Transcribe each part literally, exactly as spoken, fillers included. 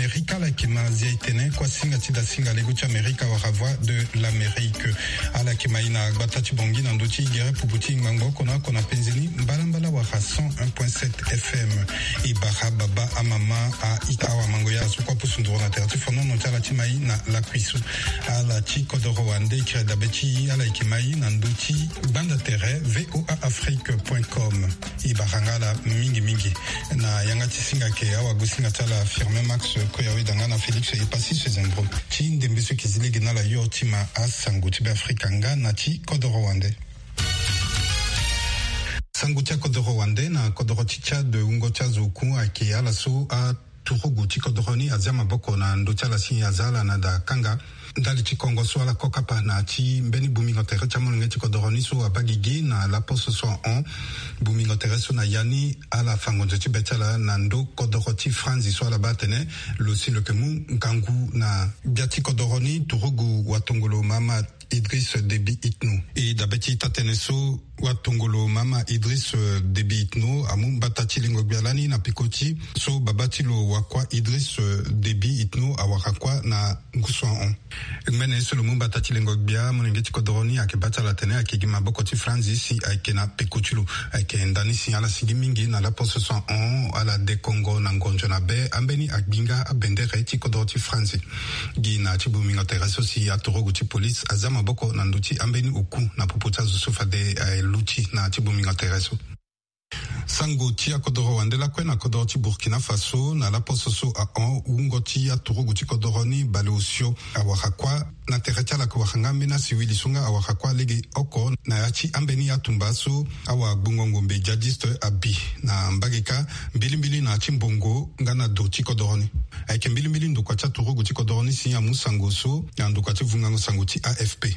Amerika, ala yeke ma zia e tene kuâ singa ti da singa lego ti Amerika wala Voix de l'Amérique. Ala yeke ma e na gbata ti Bangui na ndö ti gere pupu ti ngbangbo oko na oko na penze ni mbalambala wala cent un point sept F M. E bara baba, amama, a-ita, awamango, ya so kue apusu nduru na tere ti fonono ti ala ti ma e na lakui so. Ala ti kodoro wande, e kiri dabe ti e, ala yeke ma e na ndö ti gbanda tere V O A Afrique point com. E bara nga ala mingi mingi. Na yanga ti singa ayeke awagosinga ti ala Firmin Max Koyaweda nga na Félix Epassi Sezembro. Ti ndembe so e yeke zi lege na ala yo ti ma asango ti Beafrika nga na ti kodoro wande. Sango ti akodoro wande. Na kodoro ti Tchad, wungo ti azo oku ayeke ala so aturugu ti kodoro ni azia maboko na ndö ti ala si aza ala na da kanga. Ndali ti kongo so ala ko kapa na ya ti mbeni bongbingo tere ti amolenge ti kodoro ni so abaa gigi na laposo so ahon. Bongbingo tere so na ya ni ala fa ngonzo ti be ti ala na ndö kodoro ti Franzi so ala baa atene lo si lo yeke mu ngangu na gbia ti kodoro ni, turugu watongolo Mahamat Idriss Déby Itno. E dabe ti ita-tënë so, watongolo Mahamat Idriss, euh, Déby Itno amu mbata ti lengo gbia lani na peko ti so babâ ti lo wakua Idriss, euh, Déby Itno awara kuâ na ngu so ahon. Ngbene so lo mu mbata ti lengo gbia, molenge ti kodoro ni ayeke bâ ti ala atene ayeke gi maboko ti Franzi si ayeke na peko ti lo. Ayeke ndani si ala sigi mingi na laposo so ahon, ala de kongo na ngonzo na be ambeni agbi nga abendere ti kodoro ti Franzi. Gi na ya ti bongbingo tere so si aturugu ti police azia maboko na ndö ti ambeni oku na popo ti azo so fade aluti na ya ti bongbingo tere so. Sango ti akodoro wande lakue na kodoro ti Burkina Faso, na laposo so ahon, wungo ti aturugu ti kodoro ni baleosio awara kuâ. Na tere ti ala ayeke wara nga ambeni asiwili so nga awara kuâ lege oko na ya ti ambeni atumba so awagbongo ngombe djihadiste abi na mbage kâ, mbilimbili na ya ti mbongo nga na do ti kodoro ni. Ayeke mbilimbili ndokua ti aturugu ti kodoro ni si amu sango so na ndokua ti vungango sango ti A F P.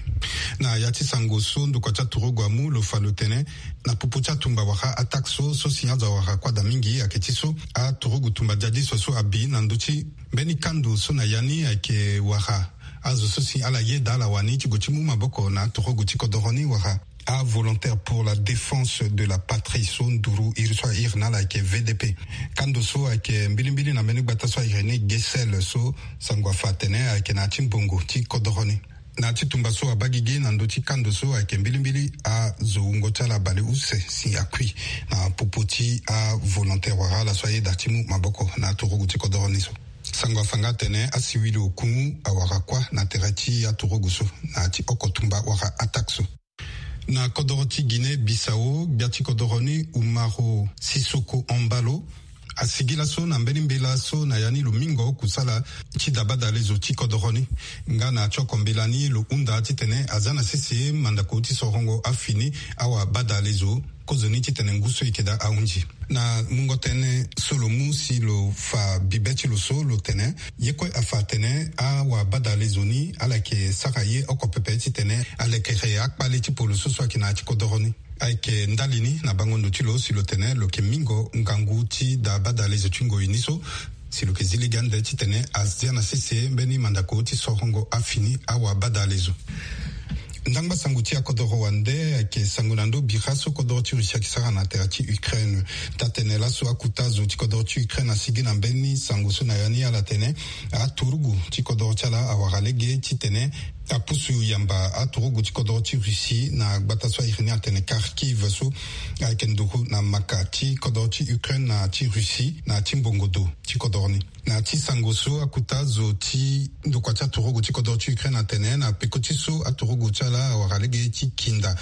Na ya ti sango so ndokua ti aturugu amu, lo fa lo tene na popo ti atumba wala attaque so, so si azo awara kuâ daa mingi ayeke ti so aturugu tumba djihadiste so abi na ndö ti mbeni kando so na ya ni ayeke wara azo so si ala yeda ala wani ti gue ti mu maboko na aturugu ti kodoro ni wala aVolontaires pour la Défense de la Patrie so nduru iri so a iri na ala ayeke V D P. Kando so ayeke mbilimbili na mbeni gbata so a iri ni Guesel so sango afa atene ayeke na ya ti mbongo ti kodoro ni. Na ya ti tumba so abaa gigi na ndö ti kando so ayeke mbilimbili azo wungo ti ala baleuse si akui na popo ti aVolontaires wala ala so ayeda ti mu maboko na aturugu ti kodoro ni so. Sango afa nga atene asiwili oku awara kuâ na tere ti aturugu so na ya ti oko tumba wala attaque so. Na kodoro ti Guinée Bissau, gbia ti kodoro ni Umaro Sissoco Embaló asigi laso na mbeni mbela so na ya ni lo mingo kusala ti da badalezo ti kodoro ni. Nga na ya ti oko mbela ni lo hunda titene aza na sese mandako ti sorongo afini awabadalezo kozoni titene ngu so e yeke daa ahunzi. Na mungo tënë so lo mu si lo fa bibe ti lo so, lo tene ye kue afa atene awabadalezo ni ala yeke sara ye oko pepe titene alekere akpale ti polo so so ayeke na ya ti kodoro ni. Ayeke ndali ni na bango ndo ti lo si lo tene lo yeke mingo ngangu ti da badalezo ti ngoi ni so, si lo yeke zi lege ande titene azia na sese mbeni mandako ti sorongo afini awabadalezo. Ndangba sango ti akodoro wande ayeke sango na ndö bira so kodoro ti Russie ayeke sara na tere ti Ukraine. Taa-tënë laso akuta zo ti kodoro ti Ukraine asigi na mbeni sango so na ya ni ala tene aturugu ti kodoro ti ala awara lege titene apusu yamba aturugu ti kodoro ti Russie na gbata so a iri ni atene Kharkiv so ayeke nduru na maka ti kodoro ti Ukraine na ti Russie na ti mbongo do ti kodoro ni. Na ti sango so akuta zo ti ndokua ti aturugu ti kodoro ti Ukraine atene na peko ti so aturugu ti ala awara lege ti kinda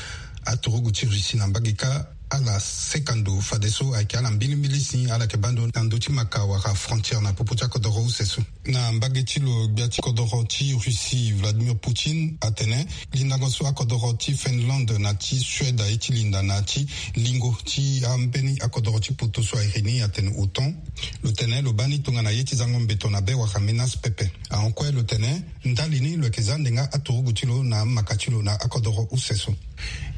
aturugu ti Russie na mbage kâ, ala seka ndo fadeso ayeke ala mbilimbili si ala yeke baa ndo na ndö ti maka wala frontière na popo ti akodoro use so. Na mbage ti lo, gbia ti kodoro ti Russie Vladimir Poutine atene lindango so akodoro ti Finlande na ti Suède aye ti linda na ti lingo ti ambeni akodoro ti poto so a iri ni atene OTAN, lo tene lo baa ni tongana ye ti zango mbeto na be wala menace pepe. Ahon kue lo tene ndali ni lo yeke za ndenga aturugu ti lo na amaka ti lo na akodoro use so.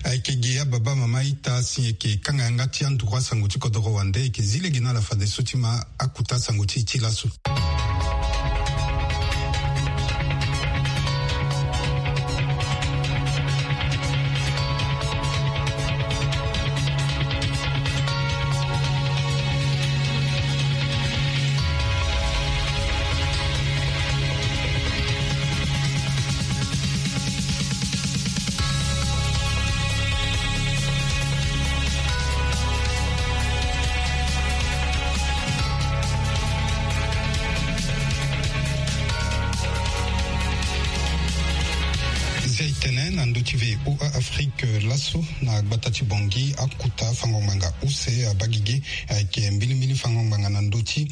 Ayeke ge ababa mama ita si e yeke kanga yanga ti anduru asango ti kodoro wande, e yeke zi lege na ala fadeso ti ma akuta sango ti e ti laso. Laso na gbata ti Bangui, akuta fango ngbanga use abaa gigi ayeke mbilimbili fango ngbanga na ndö ti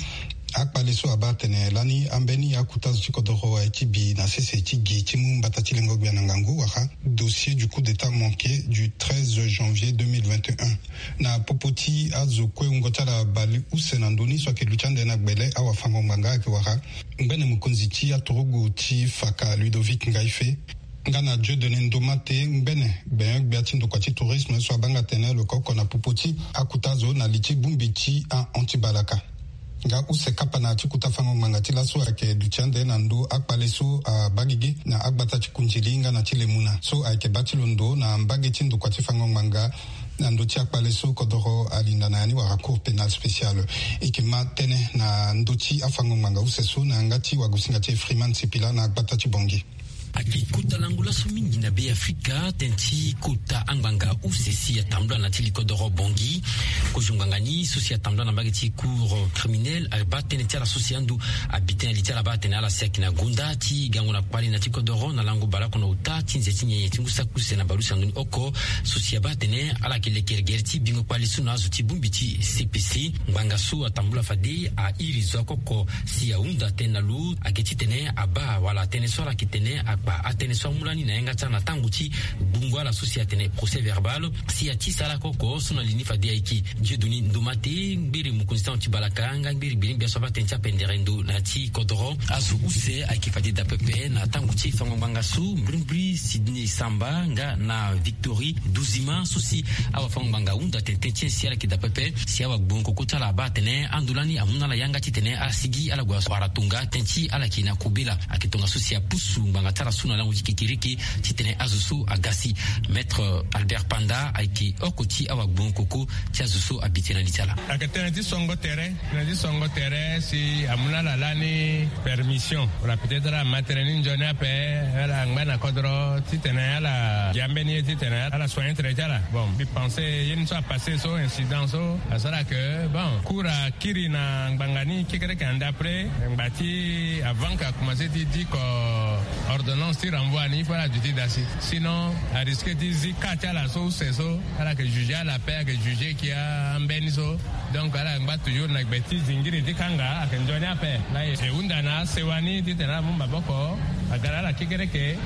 akpale so abaa atene lani ambeni akuta zo ti kodoro aye ti bi na sese ti gi ti mu mbata ti lengo gbia na ngangu wala dossier du coup d'état manqué du treize janvier deux mille vingt et un. Na popo ti azo kue wungo ti ala bale use na ndö ni so ayeke luti ande na gbele awafango ngbanga ayeke wara ngbene mokonzi ti aturugu ti faka Ludovic Ngaife, nga na Dieudonné Ndomate, ngbene gbenyo-gbia ti ndokua ti tourisme so abanga tene lo ka oko na popo ti akuta zo na li ti bongbi ti ahon ti balaka. Nga use kapa na ya ti kota fango ngbanga ti laso ayeke duti ande na ndö akpale so abaa gigi na agbata ti Kundili nga na ti Lemuna so ayeke baa ti lo ndo na mbage ti ndokua ti fango ngbanga na ndö ti akpale so kodoro alinda na ya ni wala cour pénale spéciale. E yeke ma tënë na ndö ti afango ngbanga use so na yanga ti wagosinga ti e Freeman Sipila na gbata ti Bangui. Ayeke kota lango laso mingi na Be Afrika tënë ti kota angbanga use si atambula na ti li kodoro Bangui. Kozo ngbanga ni so si atambula na mbage ti cour criminelle abaa tënë ti ala so si ando abi tënë li ti ala baa atene ala si ayeke na gonda ti gango na kpale na ti kodoro na lango baleoko na ota ti nze ti nyenye ti ngu saki use na baleuse na ndoni oko so si abaa atene ala yeke lekere gere ti bingo kpale so na azo ti bongbi ti C P C. Ngbanga so atambula fade airi zo oko oko si ahunda tënë na lo ayeke titene abaa wala atënë so ala yeke tene akpa atënë so amu lani na yanga ti ala na tango ti gbungo ala so si atene procès verbal. Si ati sara oko oko so na li ni fade ayeke Dieudonné Ndomate, ngbere mokonzi ti ahon ti balaka nga ngbere gbenegbia so abaa tënë ti apendere ndo na ya ti kodoro. Azo use ayeke fade daa pepe na tango ti fango ngbanga so, mbirimbiri Sydney Samba nga na Victory Duzima so si awafango ngbanga ahunda tene tënë ti e si ala yeke daa pepe si awagbongo koko ti ala abaa atene ando lani amu na ala yanga titene ala sigi ala gue wara tonga tënë ti ala yeke na kobela. Ayeke tongaso si apusu ngbanga ti ala so na lango ti kekereke titene azo so aga si. Maître Albert Panda ayeke oko ti awagbongo koko ti azo so abi tënë na li ti ala. Ayeke tënë ti songo tere, tënë ti songo tere si amu na ala lani permission wala peut-être ala ma tënë ni nzoni ape, ala ngba na kodro titene ala gi ambeni ye titene ala soigner tere ti ala. Bon, mbi pense ye ni so apasse so, incident so asara ke, bon, cour akiri na ngbanga ni kekereke ande après ngba ti avant ke akomanse ti diko ordonnance ti renvoi ni, il faut ala duti daa si. Sinon arisque ti zi cas ti ala so use so, ala yeke juger ala ape, ayeke juger kia ambeni so. Donc ala ngba toujours na gbe ti zingiri ti kanga ayeke nzoni ape. Laa e hunda na asewa ni titene ala mu maboko aga na ala kekereke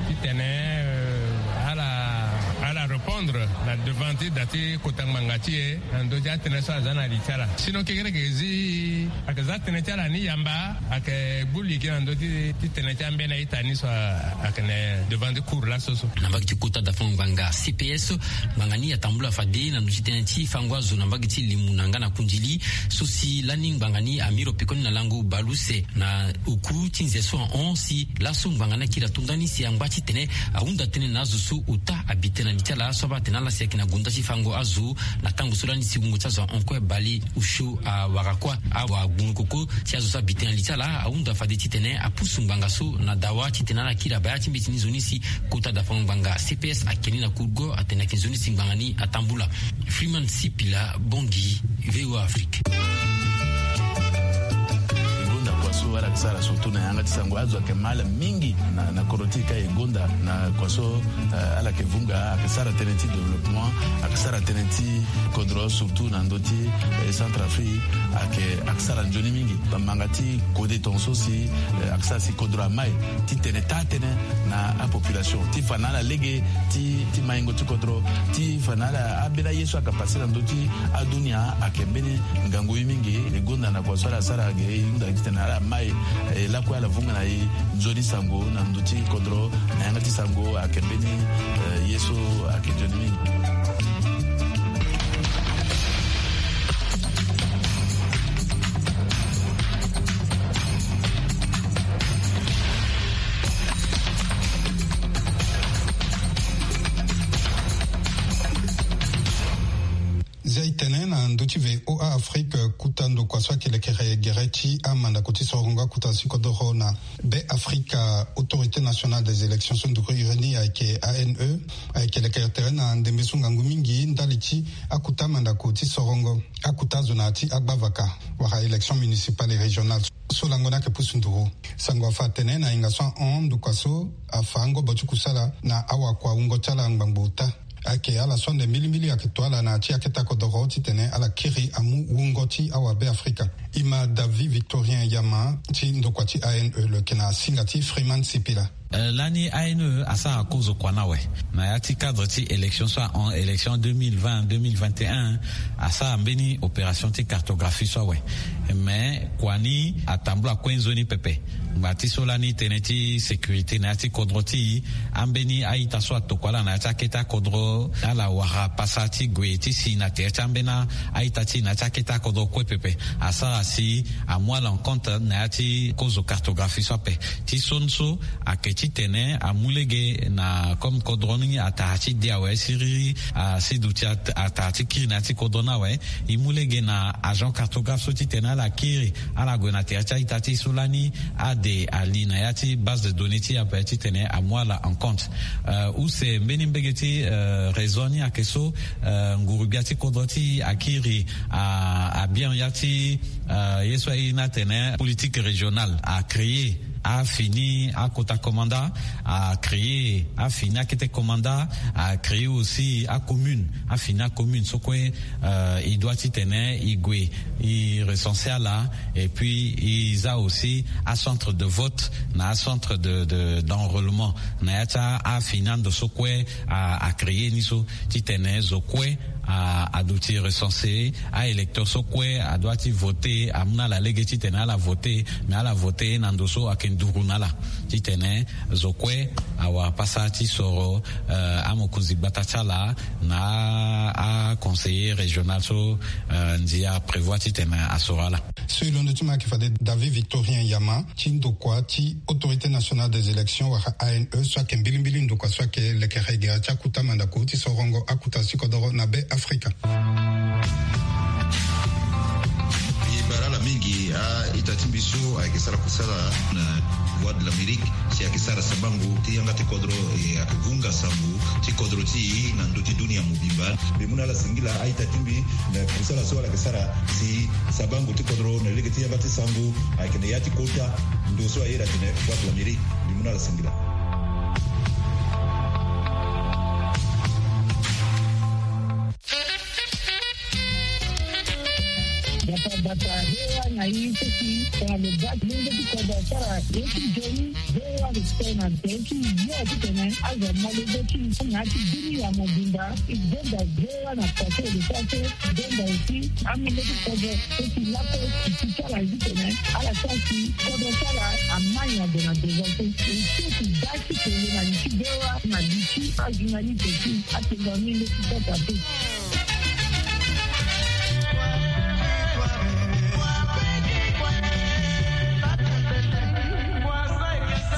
titene, euh, ala, ala répondre na devant ti da ti kota ngbanga ti e na ndö ti atënë so aza na li ti ala. Sinon kekereke zi ayeke za tënë ti ala ni yamba, ayeke gbu liki na ndö ti, ti tënë ti ambeni a-ita ni so ayeke na devant ti cour laso so. Na mbage ti kota da fango ngbanga C P S, ngbanga ni atambula fade na ndö ti tënë ti fango azo na mbage ti Lemuna nga na Kundili so si lani ngbanga ni amiro pekoni na lango baleuse na oku ti nze so ahon si laso ngbanga ni akiri ato ndani si angba titene ahunda tënë na azo so ota abi tënë na li ti ala so abaa atene ala si ayeke na gonda ti fango azo na tango so lani si wungo ti azo ahon kue bale osio awara kuâ. Awagbungo koko ti azo so abi tënë na li ti ala ahunda fade titene apusu ngbanga so na dawa titene ala kiri abaya ti mbeti ni nzoni si kota da fango ngbanga C P S akeni na kurgo atene ayeke nzoni si ngbanga ni atambula. Freeman Sipila, Bangui, V O A Afrique. E gonda kua so ala yeke sara surtout na yanga ti sango azo ayeke mal mingi na, na kodro ti e ka e gonda na kua so, eh, ala yeke vunga, ayeke sara tënë ti développement, ayeke sara tënë ti kodro surtout na ndö ti, eh, Centrafrique, ayeke, ayeke sara nzoni mingi. Bamanga ti kode tongaso si, eh, ayeke sara si kodro amai titene taa tënë na apopulation ti fa na ala lege ti, ti maingo ti kodro, ti fa na ala ambeni aye so ayeke passe na ndö ti adunia ayeke mbeni ngangu ye mingi. E gonda na kua so ala sara ge e hunda titene ala mai, eh, lakue ala vunga na e nzoni sango na ndö ti kodro na yanga ti sango ayeke mbeni, eh, ye so ayeke nzoni mingi. Zia e tene na ndö ti V O A Afrique, kuta ndokua so ayeke lekere gere ti amandako ti sorongo akuta si kodoro na Be Afrika, Autorité Nationale des Élections so nduru iri ni ayeke A N E, ayeke lekere tere na ndembe so ngangu mingi ndali ti akuta mandako ti sorongo akuta zo na ya ti agbavaka wala élection municipale et régionale so lango ni ayeke pusu nduru. Sango afa atene na hinga so ahon ndokua so afa angobo ti kusala na awakua wungo ti ala ngbangbo ota. Ayeke ala so ande mbilimbili ayeke to ala na ya ti akete akodoro titene ala kiri amu wungo ti awabe afrika. E ma David Victorien Yama ti ndokua ti A N E lo yeke na singa ti Freeman Sipila. Lani A N E asara kozo kua ni awe na ya ti cadre ti élection so ahon élection deux mille vingt deux mille vingt et un, asara mbeni opération ti cartographie so awe. Mais kua ni atambula kue nzoni pepe. Ngba ti so lani tënë ti sécurité na ya ti kodro ti e, ambeni a-ita so atokua ala na ya ti akete akodro, ala wara pasa ti gue ti si na tere ti ambeni a-ita ti e na ya ti akete akodro kue pepe. Asara si amu ala en compte na ya ti kozo cartographie so ape. Ti so ni so ayeke titene amu lege na comme kodro ni atara ti de awe siriri, asi duti atara ti kiri na ya ti kodro ni awe. E mu lege na agent cartographe so titene ala kiri ala gue na tere ti a-ita ti e so lani ade ali na ya ti base de données ti e ape titene amu ala en compte. Use mbeni mbege ti réseau ni ayeke so, nguru-gbia ti kodro ti e akiri, abien ya ti ye so aye ni atene politique régionale, acréer afini akota commanda, acréer afini akete commanda, acréer aussi acommune, afini acommune so kue e doit titene e gue e recenser ala. Et puis e za aussi acentre de vote na acentre de d'enrôlement na ya ti afini ando so kue acréer ni so titene zo kue aduti recenser. A-électeur so kue adoit ti voter amu na ala lege titene ala voter, mais ala voter na ndo so ayeke nduru na ala titene zo kue awara pasa ti soro amokonzi gbata ti ala na aconseiller régional so ndia prévoir titene asoro ala. So e londo ti ma ayeke fade David Victorien Yama ti ndokua ti Autorité Nationale des Élections wala A N E so ayeke mbilimbili ndokua so ayeke lekere gere ti akuta mandako ti sorongo akuta ti kodoro na be afrika. E bara ala mingi a-ita ti mbi so ayeke sara kusala na Voix de l'Amérique si ayeke sara sabango ti yanga ti kodro, e ayeke vunga sango ti kodro ti e na ndö ti dunia mobimba. Mbi mu na ala singila a-ita ti mbi na kusala so ala yeke sara si sabango ti kodro na lege ti yanga ti sango ayeke na ya ti kota ndo so aye atene Voix de l'Amérique. Mbi mu na ala singila. Bata bata, V O A na i seki tongana lo baa ti lenge ti kodro asara ye ti nzoni. V O A respect na tere ti yo titene azo amolenge ti na ya ti dunia mobimba. E gbenda V O A na pase de pase, gbenda aussi amolenge ti kodro so ti lakue ti ti ti ala titene ala sara si kodro ti ala amai na gue na devant so. E so ti baa ti kele na li ti V O A na li ti ajournaliste ti atengo amolenge ti kota pe.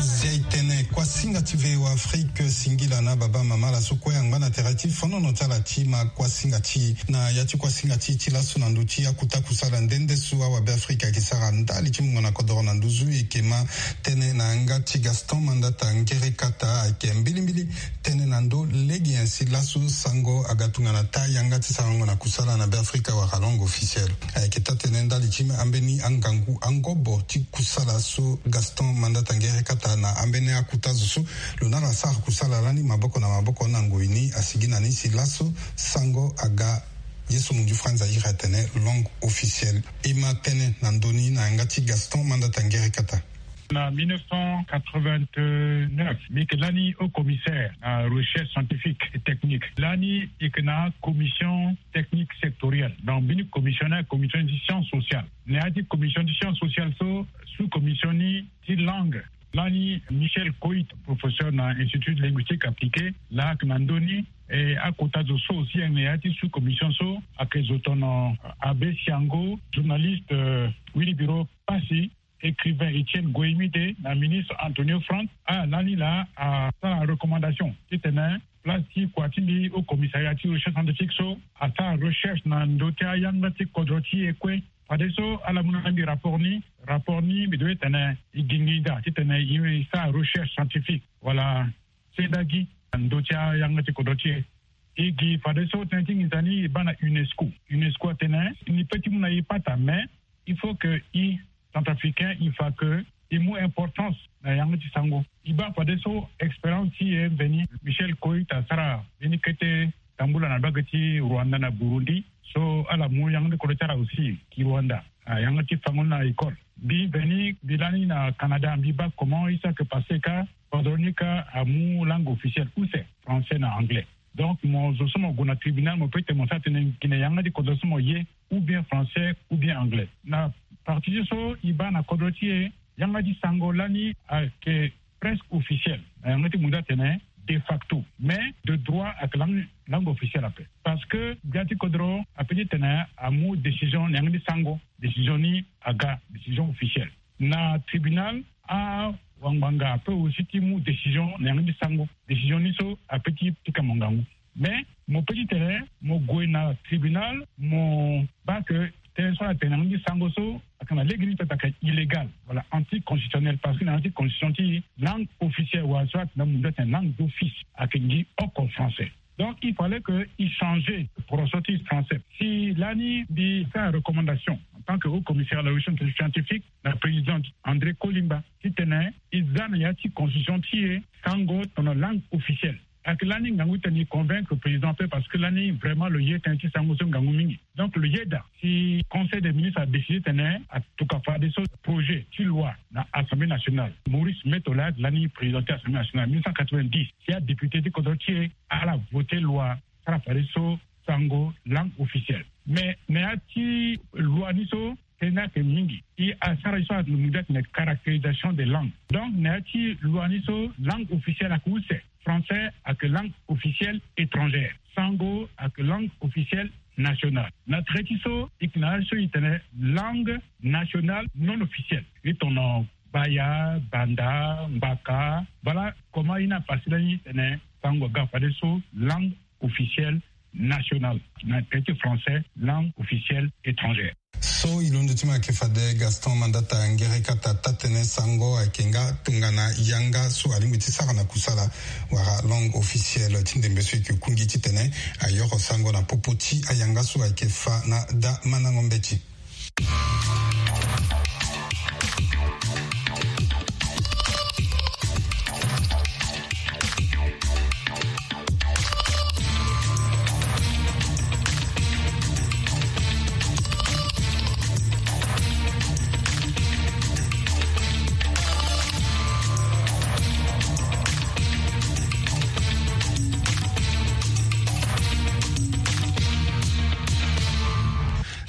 Zia e tene kuasinga ti V O A Afrique singila na baba mama ala so kue angba na tere ti fonono ti ala ti ma kuasinga ti e na ya ti kuasinga ti e ti laso na ndö ti akuta kusala nde nde so awabe Afrika ayeke sara ndali ti mungo na kodoro na nduzu. E yeke ma tënë na yanga ti Gaston Mandata Ngere Kata ayeke mbilimbili tënë na ndö lege nyen si laso sango aga tongana taa yanga ti sarango na kusala na Beafrika wala langue officielle. Ayeke taa-tënë ndali ti ambeni angangu angobo ti kusala so Gaston Mandata Ngere Kata na ambeni akuta zo so lo na ala sara kusala lani maboko na maboko na ngoi ni asigi na ni si laso sango aga. Ye so munzu Franz Zaire atene langue officielle. E ma tënë na ndö ni na yanga ti Gaston Mandata Ngere Kata. Na mille neuf cent quatre-vingt-neuf, mbi yeke lani haut commissaire na recherche scientifique et technique. Lani e yeke na commission technique sectorielle. Donc mbeni commission ni, commission ti science sociale. Na ya ti commission ti science sociale so, sous commission ni ti langue. Lani Michel Coït, professeur na Institut linguistique appliqué, laa ayeke na ndö ni. E akota zo so aussi ayeke na ya ti sous commission so ayeke zo tono Abbé Siango, journaliste, euh, Wilibiro Passy, écrivain Étienne Goïmide na ministre Antonio Franck. Ah, lani laa asara recommandation titene place ti kua ti mbi haut commissariat ti recherche scientifique so asara recherche na ndö ti ayanga ti kodro ti e kue. Fadeso ala mu na mbi rapport ni, rapport ni mbi doit tene e gi nginza titene e sara recherche scientifique wala sendagi na ndö ti ayanga ti kodro ti e. E gi fadeso tënë ti nginza ni e baa na UNESCO. UNESCO atene ni peut ti mu na e pata, mais il faut que e Centrafricain, il faut que e mu importance na yanga ti sango. E baa fadeso expérience ti e mveni, Michel Coït asara mbeni kete tambula na mbage ti Rwanda na Burundi. So ala mu yanga ti kodro ti ala aussi ki Rwanda, yanga ti fango na école. Mbi veni mbi lani na Canada, mbi baa comment isa ke passe ka kodro ni ka amu langue officielle use français na anglais. Donc mo zo so mo gue na tribunal, mo pe tene mo sa tene gine yanga ti kodro so mo ye ou bien français ou bien anglais. Na parti ti so i baa na kodro ti e, yanga ti sango lani ayeke presque officiel na yanga ti mundu atene de facto, mais de droit ayeke langue, langue officielle ape. Parce que gbia ti kodro ape ti tene amu décision na yanga ti sango, décision ni aga décision officielle. Na tribunal, awangbanga ape aussi ti mu décision na yanga ti sango, décision ni so ape ti pika mo ngangu. Mais mo pe ti tene mo gue na tribunal, mo baa ke tënë so ala tene na yanga ti sango so ayeke na lege ni peut ayeke illégal wala anticonstitutionnel, parce que na yanga ti constitution ti langue officielle wala so atene na mundu atene langue d'office ayeke ngi oko français. Donc il fallait que i changer poroso ti français. Si lani mbi sara recommandation en tant que haut commissaire à la recherche scientifique na président André Kolimba ti tene i za na ya ti constitution ti e sango tongana langue officielle. Ayeke lani ngangu ti tene i convaincre président ape, parce que lani vraiment lo ye tënë ti sango so ngangu mingi. Donc lo yeda si conseil des ministres adécidé tene atuka fadeso projet ti loi na assemblée nationale. Maurice Metola lani président ti assemblée nationale mille neuf cent quatre-vingt-dix, si adéputé ti kodro ti e ala voté loi sara fadeso sango langue officielle. Mais na ya ti loi ni so tënë ni ayeke mingi. I asara ye so ala mu daa tene caractérisation des langues. Donc na ya ti loi ni so langue officielle ayeke use, français ayeke langue officielle étrangère, sango ayeke langue officielle nationale. Na tere ti so i yeke na ya so i tene langue nationale non officielle, i tongana baya, banda, ngbaka. Voilà comment i na pasi lani tene sango aga fadeso langue officielle nationale, na tere ti français langue officielle étrangère. So i londo ti ma ayeke fade Gaston Mandata Ngerekata, taa-tënë sango ayeke nga tongana yanga so alingbi ti sara na kusala wala langue officielle ti ndembe so e yeke kungi titene ayoro sango na popo ti ayanga so ayeke fa na daa mandango mbeti.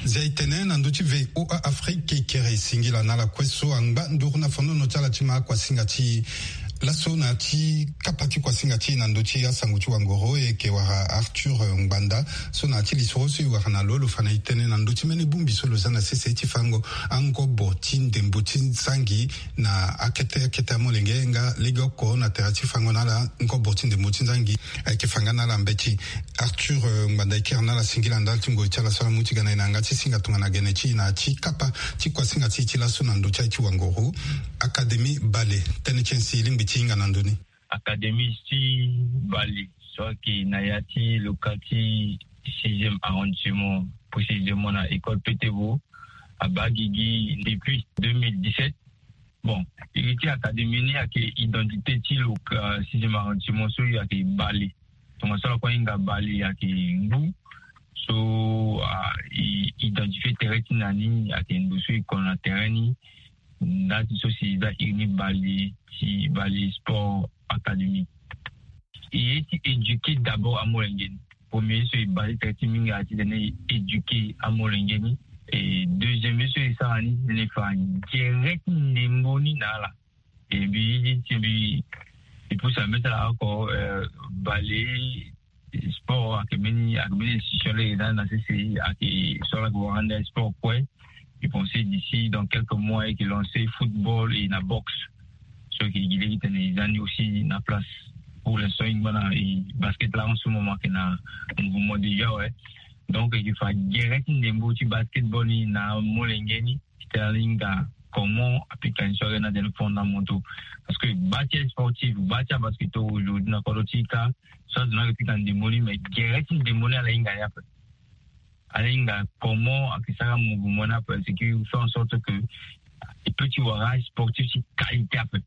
Zia e tene na ndö ti V O A Afrique, e kere singila na ala kue so angba nduru na fandono ti ala ti ma akuasinga ti laso na ya ti kapa ti kuasinga ti e na ndö ti asango ti wangoro, e yeke wara Arthur Ngbanda. So na ya ti lisoro so e wara na lo, lo fa na e tënë na ndö ti mbeni bongbi so lo za na sese ti fango angobo ti ndembo ti zangi na akete akete amolenge nga legeoko na tere ti fango na ala ngobo ti ndembo ti zangi. Ayeke fa nga na ala mbeti. Arthur, eh, Ngbanda, e kiri na ala singila ndali ti ngoi ti ala so ala mu ti ga na e na yanga ti singa tongana gene ti e na ya ti kapa ti kuasinga ti e ti laso na ndö ti aye ti wangoro. Académie Bale, tënë ti e si e lingbi ti hinga na ndö ni. Académie ti Bale so ayeke na ya ti loka ti sixième arrondissement, précisément na école Petebo, abaa gigi depuis deux mille dix-sept. Bon, iri ti académie ni ayeke identité ti lo, euh, sixième arrondissement so ayeke Bale. Tongaso ala kue ahinga Bale ayeke ngu. So, ah, i identifié tere ti na ni ayeke ndo so e kono na tere ni. Ndali ti so si e za iri ni Bale ti Bale Sport Academy. E ye ti éduquer d'abord amolenge ni. Premier ye so e baa ti tere ti mingi ayeke ti tene e éduquer amolenge ni. E deuxième ye so e sara ni ti tene e fa gere ti ndembo ni na ala. E mbi ye ti mbi e pusa mbeti ala oko, euh, Bale Sport ayeke mbeni, ayeke mbeni institution lege na, na sese ayeke so ala yeke wara ande sport kue. E pensé d'ici dans quelques mois e yeke lancé football et na boxe. So e yeke gi lege ti tene e za ni aussi na place. Pour l'instant e ngba na e basket la en ce moment ayeke na mouvement déjà, ouais. Donc e yeke fa gere ti ndembo ti basketball ni na amolenge ni. Ti tene ala hinga comment apika ni so ayeke na tene fondamentaux. Parce que bâ ti asportif, bâ ti abasketteurs aujourd'hui na kodro ti e ka, so azo ni ayeke pika ndembo ni, mais gere ti ndembo ni ala hinga ni ape. Ala hinga comment ayeke sara mouvement ni ape, c'est que faire en sorte que e peut ti wara sportif ti qualité ape.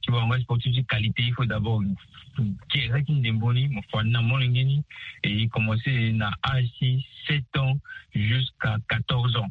Ti wara sportif ti qualité, il faut d'abord gere ti ndembo ni, mo fa ni na molenge ni. Et il commence na âge ti sept ans jusqu'à quatorze ans.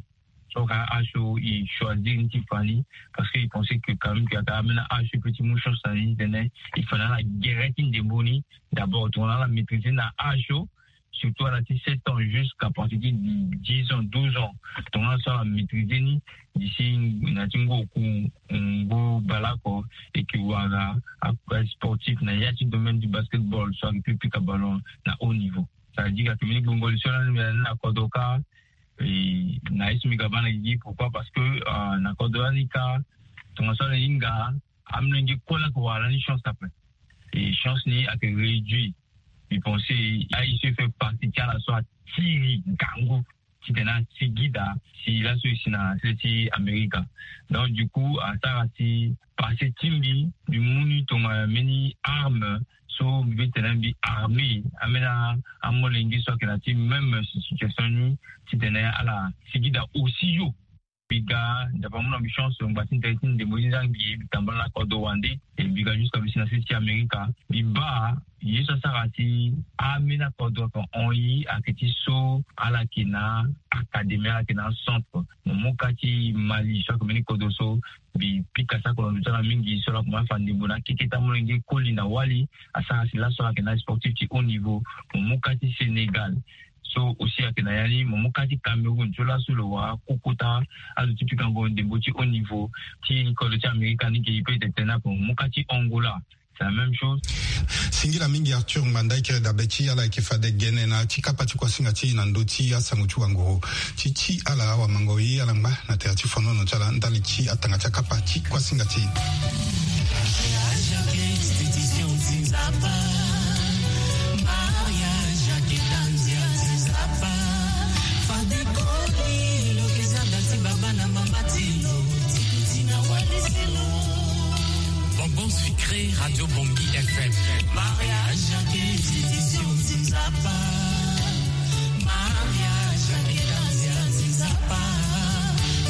So ka âge so il choisir ni ti fa ni, parce que il pense que quand même que aka amena âge so pe ti mu chance na ni tene il fa na ala gere ti ndembo ni. D'abord tongana ala maîtriser na âge so, surtout ala ti sept ans jusqu'à partir ti dix ans, douze ans. Tongana so ala maîtriser ni, d'ici na ti ngu oku ngu bale oko, et que wara a sportif na ya ti domaine du basketball, so ayeke pu pika ballon na haut niveau. Ça veut dire ake mbeni gbongo li so lani mbi na ni na kodro kâ. Na ye so mbi ga baa na gigi, pourquoi? Parce que na kodro lani kâ, tongaso ala hinga, amolenge kue laa ayeke wara lani chance ape. Et chance ni ayeke réduit. Mbi pense aye so e fait partie ti ala so atiri ngangu titene asigi daa si laso e si na sese ti Amerika. Donc du coup asara si passé ti mbi, mbi mu ni tongana mbeni arme so mbi be tene mbi armé ambeni amolenge so ayeke na ti même situation ni, titene ala sigi daa aussi yo. Mbi ga, Nzapa amu na mbi chance, ngba ti ndali ti ndembo ti nzangi, mbi tambula na kodro wande. E mbi ga jusqu'à mbi si na sese ti Amerika. Mbi baa ye so asara si ambeni akodro ayeke hon ye ayeke ti so ala yeke na académie, ala yeke na acentre. Mo mu ka ti Mali so ayeke mbeni kodro so mbi pika sako na ndo ti ala mingi, so ala yeke ma afa ndembo na akeke ti amolenge koli na wali. Asara si laso ala yeke na sportif ti haut niveau. Mo mu ka ti Sénégal so aussi ayeke na ya ni. Mo mu ka ti Cameroun so laso lo wara koko ti azo ti pikango ndembo ti haut niveau ti kodro ti Amerika ni ge, e peut tene ape. Mo mu ka ti Angola, c'est la même chose. Singila mingi Arthur Ngbanda, e kiri dabe ti ala ayeke fade gene na ti kapa ti kuasinga ti e na ndö ti asango ti wanguru. Ti ti ala awamango ye ala ngba na tere ti fonono ti ala ndali ti atanga ti akapa ti kuasinga ti e. Bonbon sucré, Radio Bongi F M. Mariage, institution, Nzapa. Mariage, Nzapa.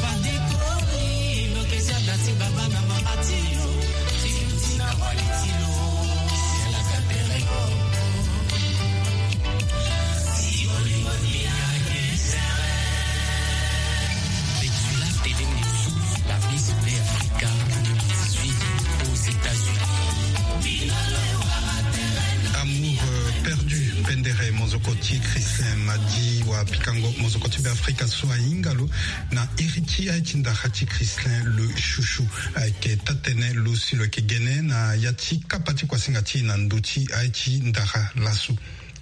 Pas de colis, lo que ça, si baba na mama ti yo. Si yo, si na wali ti lo. Si ala ka tere yo. Betula Tedemoussou, la Miss Play Africa deux mille dix-huit aux États-Unis. Amour, euh, perdu, pendere, mozoko ti Christin Madi wa pikango mozoko ti Beafrika so ahinga lo na iri ti aye ti ndara ti Christin le chouchou. Ayeke taa-tënë lo si lo yeke gene na ya ti kapa ti kuasinga ti e na ndö ti aye ti ndara laso.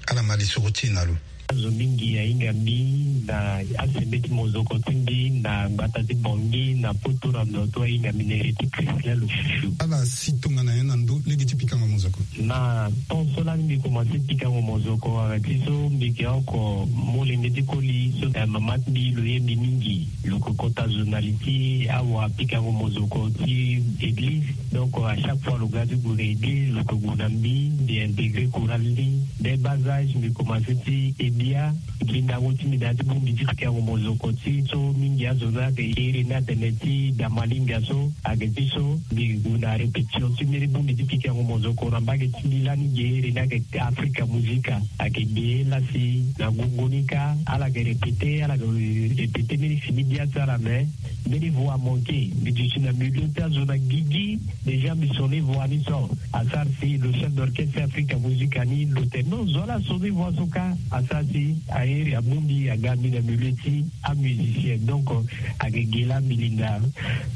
Ala ma lisoro ti e na lo. Azo mingi ahinga mbi na asembeti mozoko ti mbi na ngbata ti Bangui na poto na ndo ti ahinga mbi na iri ti Christin le chouchou. Ala si tongana nyen na ndö lege ti pikango mozoko? Na temps so lani mbi komanse pikango mozoko, ayeke ti so mbi yeke oko molenge ti koli so, eh, mama ti mbi lo ye mbi mingi. Lo yeke kota zo na li ti awa pikango mozoko ti église. Donc à chaque fois lo ga ti gue na église, lo yeke gue na mbi, mbi intégrer chorale ni. Dès bas âge mbi komanse ti he bia. Ngindango ti mbi na ya ti bongbi ti pikango mozoko ti so mingi azo ni ayeke iri ni atene ti da malinga so. Ayeke ti so mbi gue na répétition ti mbeni bongbi ti pikango mozoko na mbage ti mbi lani ge iri ni ayeke Africa Musica. Ayeke ge la si na gongo ni kâ ala yeke répéter, ala yeke répéter mbeni fini bia ti ala, mais mbeni voix amanqué. Mbi duti na milieu ti azo na gigi. Déjà mbi sonner voix ni so asara si lo chef d'orchestre Africa Musica ni lo tene non, zo ala sonner voix so kâ. Asara si airi abongbi aga mbi na milieu ti amusicien. Donc ayeke ge la mbi linda,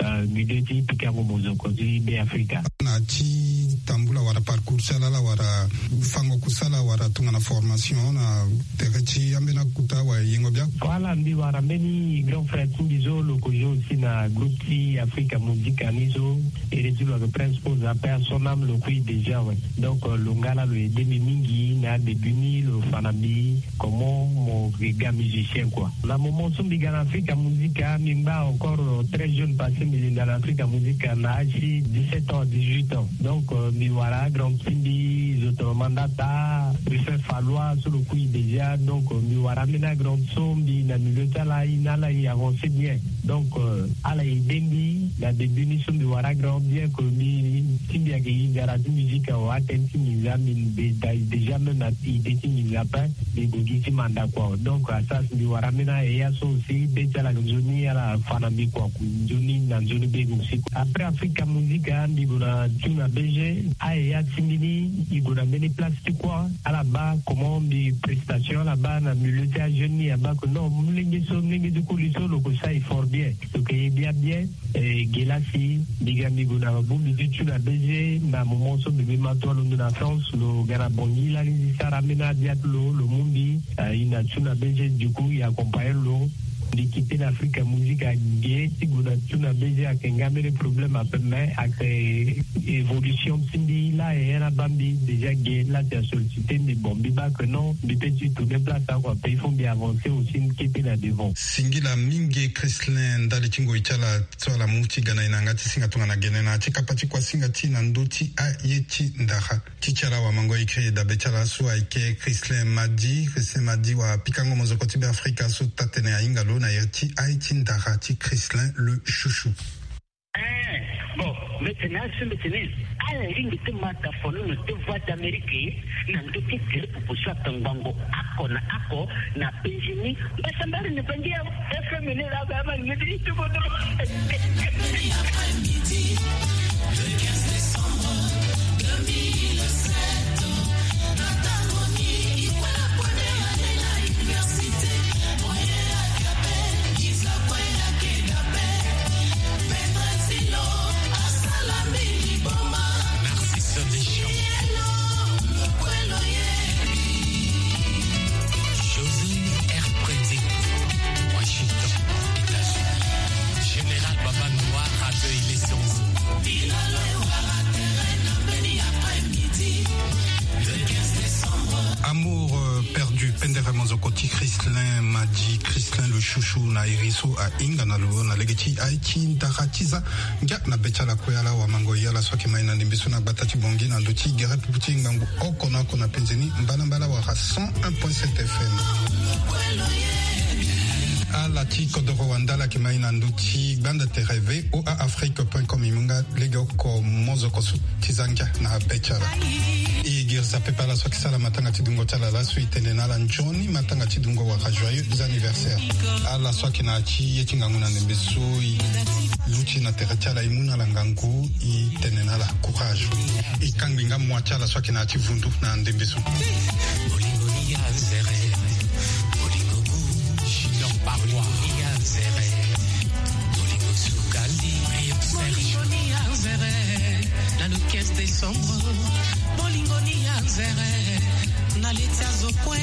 euh, milieu ti pikango mozoko ti Beafrika. Na ti tambula wala parcours ti ala, ala wara fango kusala wala tongana formation na tere ti ambeni akuta wa yengo bia? Voilà, mbi wara mbeni grand frère ti mbi so lo yeke jouer aussi na groupe ti Africa Musica ni so. Iri ti lo ayeke Prince Pose, paix à son âme, lo kui déjà, ouais. Donc, euh, lo nga la lo aidé mbi mingi na début ni, lo fa na mbi comment mo ga musicien, quoi. Na moment so mbi ga na Africa Musica, mbi ngba encore, euh, très jeune, parce que mbi linda na Africa Musica na âge ti dix-sept ans, dix-huit ans. Donc, euh, mbi wara grand Mbi zo tongana mandata, Ruffin Fallois so lo kui déjà. Donc mbi wara ambeni agrande so mbi na milieu ti ala, i na ala i avancer bien. Donc euh, ala ide mbi na début ni so mbi wara grand bien que mbi ti mbi ayeke i nzara ti musique awe, atene ti nginza mbi déjà même na ide ti nginza ape. Mbi gue gi ti manda kua. Donc asas mbi wara ambeni aye ya so aussi be ti ala nzoni ala fa na mbi kua ku nzoni na nzoni be aussi. Après Africa Musica mbi gue na tuna B G, aye ya ti mbi ni i gue na mbeni place ti kua. Ala baa comment mbi prestation, ala baa na milieu ti ajeune ni, abaa que non, molenge so, molenge ti koli so lo ke sara effort bien, lo ke ye bia bien. Eh, ge lasi mbi ga mbi gue na bongbi ti tuna B G na moment so mbi mbi ma to alondo na France, lo ga na bongi lani ti sara ambeni abia ti lo, lo mu mbi. Eh, i na tuna B G du coup i accompagne lo. Mbi kite na Africa Musica ge ti gue na tuna B G ayeke nga mbeni problème ape, mais ayeke évolution ti mbi laa e ya na baa mbi déjà ge lasi a sollicité mbi. Bon, mbi baa que non, mbi peut ti tourner place oko ape, il faut mbi avancer aussi, mbi kete na devant. Singila mingi Chrislin ndali ti ngoi ti ala so ala mu ti ga na e na yanga ti singa tongana gene na ya ti kapa ti kuasinga ti na ndö ti aye ti ndara ti ti ala wamango écrit dabe ti ala so ayeke Chrislin Madi. Chrislin Madi, wara pikango mozoko ti Beafrika so taa-tënë ahinga lo na iri ti aye ti ndara ti Chrislin le Chouchou. Eh, bon, mbi tene asu mbi tene, ala lingbi ti ma tafono na deux voix d'Amérique na ndö ti gere pupu so atongbango oko na oko na penzi ni. Mbasambari ni bangi ya F M ni la ba ma ni ti ti bodo. Après-midi, le quinze décembre deux mille sept, na tango ni, il faut la première année na université. Narcisse Deschamps. José R. Prezi, Washington, États-Unis. Général Baba Noir accueille les Sango. Amour euh, perdu, pendere mozoko ti Chrislin Madi, Chrislin le Chouchou na iri so ahinga na lo na lege ti aye ti ndara ti za. Ngia na be ti ala kue ala wamango, e ala so ayeke ma e na ndembe so na gbata ti Bangui na ndö ti gere pupu ti ngangu oko na oko na penze ni, mbalambala wala cent un point sept F M. Ala ti kodoro wanda ala yeke ma e na ndö ti gbanda tere V O A Afrique point com, e mu nga lege oko mozoko so ti za ngia na be ti ala. E girisa pepe ala so ayeke sara matanga ti dungo ti ala laso, e tene na ala nzoni matanga ti dungo wala joyeux anniversaire. Ala so ayeke na ya ti ye ti ngangu na ndembe so e luti na tere ti ala, e mu na ala ngangu, e tene na ala courage. E kangbi nga mua ti ala so ayeke na ya ti vundu na ndembe so. Bolingo ni ya nzere, bolingo gu. Junior Barwa. Bolingo ni ya nzere, bolingo sukali. Bolingo ni ya nzere, na le quinze décembre. Bolingo ni ya nzere, na leti azo kue,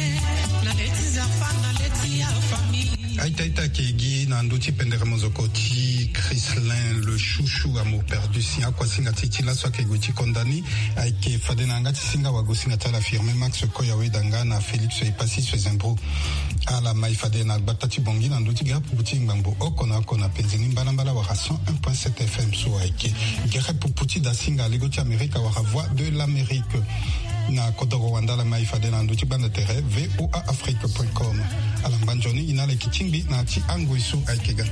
na leti nzapa, na leti ya famille. Aita aita ayeke gi na ndö ti pendere mozoko ti Chrislin le Chouchou, Amour perdu, si akuasinga ti e ti laso ayeke gue ti konda ni. Ayeke fade na yanga ti singa wagosinga ti ala Firmin Max Koya Wedanga na Félix Epassis Zembro. Ala ma e fade na gbata ti Bangui na ndö ti gere pupu ti ngbangbo oko na oko na penze ni, mbalambala wala cent un point sept F M so ayeke gere pupu ti dasinga lego ti Amerika wala Voix de l'Amérique. Na kodoro wanda ala ma e fade na ndö ti gbanda tere V O A Afrique point com. Ala ngba nzoni, e na ala yeke tingbi na ya ti angoi so ayeke ga.